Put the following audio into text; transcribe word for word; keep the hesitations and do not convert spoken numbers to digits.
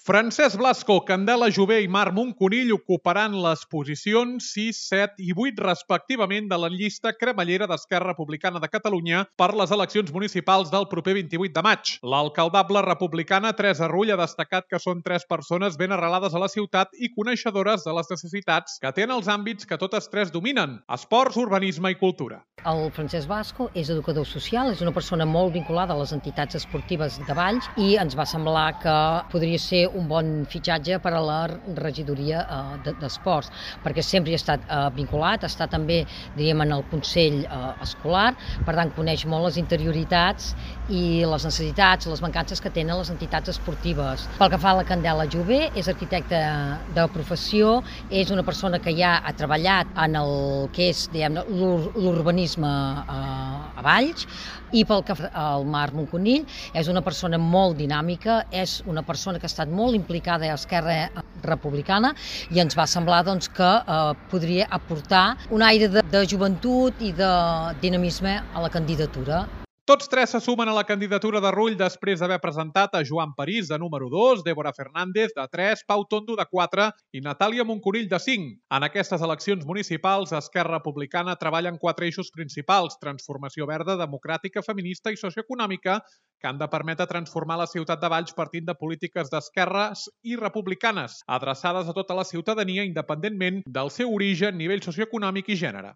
Francesc Blasco, Candela Jové i Marc Moncunill ocuparan les posicions sis, set i vuit respectivament de la llista cremallera d'Esquerra Republicana de Catalunya per les eleccions municipals del proper vint-i-vuit de maig. L'alcaldable republicana Teresa Rull ha destacat que són tres persones ben arrelades a la ciutat i coneixedores de les necessitats que tenen els àmbits que totes tres dominen: esports, urbanisme i cultura. El Francesc Blasco és educador social, és una persona molt vinculada a les entitats esportives de Valls i ens va semblar que podria ser un bon fitxatge per a la regidoria d'esports, perquè sempre hi ha estat vinculat, està també, diríem, en el Consell Escolar, per tant coneix molt les interioritats i les necessitats, les mancances que tenen les entitats esportives. Pel que fa a la Candela Jové, és arquitecta de professió, és una persona que ja ha treballat en el que és, diguem, l'urbanisme a Valls, i pel que fa al Marc Moncunill, és una persona molt dinàmica, és una persona que ha estat molt implicada a Esquerra Republicana i ens va semblar doncs, que eh, podria aportar un aire de, de joventut i de dinamisme a la candidatura. Tots tres se sumen a la candidatura de Rull després d'haver presentat a Joan París, de número dos, Débora Fernández, de tres, Pau Tondo, de quatre i Natàlia Moncunill, de cinc. En aquestes eleccions municipals, Esquerra Republicana treballa en quatre eixos principals: transformació verda, democràtica, feminista i socioeconòmica, que han de permetre transformar la ciutat de Valls partint de polítiques d'esquerres i republicanes, adreçades a tota la ciutadania independentment del seu origen, nivell socioeconòmic i gènere.